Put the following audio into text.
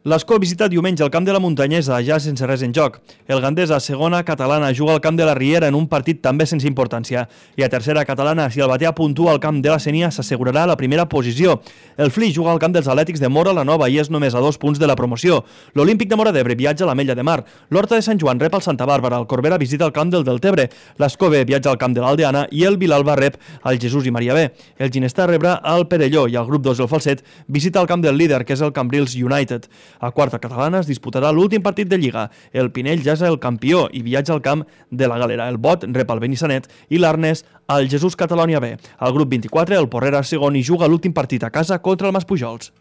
L'Escó visita diumenge el camp de la Muntanyesa, ja sense res en joc. El Gandesa, segona catalana, juga al camp de la Riera en un partit també sense importància. I a tercera catalana, si el Batea puntua al camp de la Sénia, s'assegurarà la primera posició. El Flix juga al camp dels Atlètics de Móra la Nova i és només a 2 punts de la promoció. L'Olímpic de Móra d'Ebre viatja a l'Ametlla de Mar. L'Horta de Sant Joan rep el Santa Bàrbara. El Corbera visita el camp del Deltebre. L'Escó B viatja al camp de l'Aldeana i el Vilalba rep el Jesús i Maria B. El Ginestar rebrà el Perelló i el grup 2, el Falset, visita el camp del líder, que és el Cambrils United. A quarta catalana es disputarà l'últim partit de Lliga. El Pinell ja és el campió i viatja al camp de la Galera. El Bot rep el Benissanet i l'Arnes al Jesús Catalònia B. Al grup 24, el Porrera segon i juga l'últim partit a casa contra el Maspujols.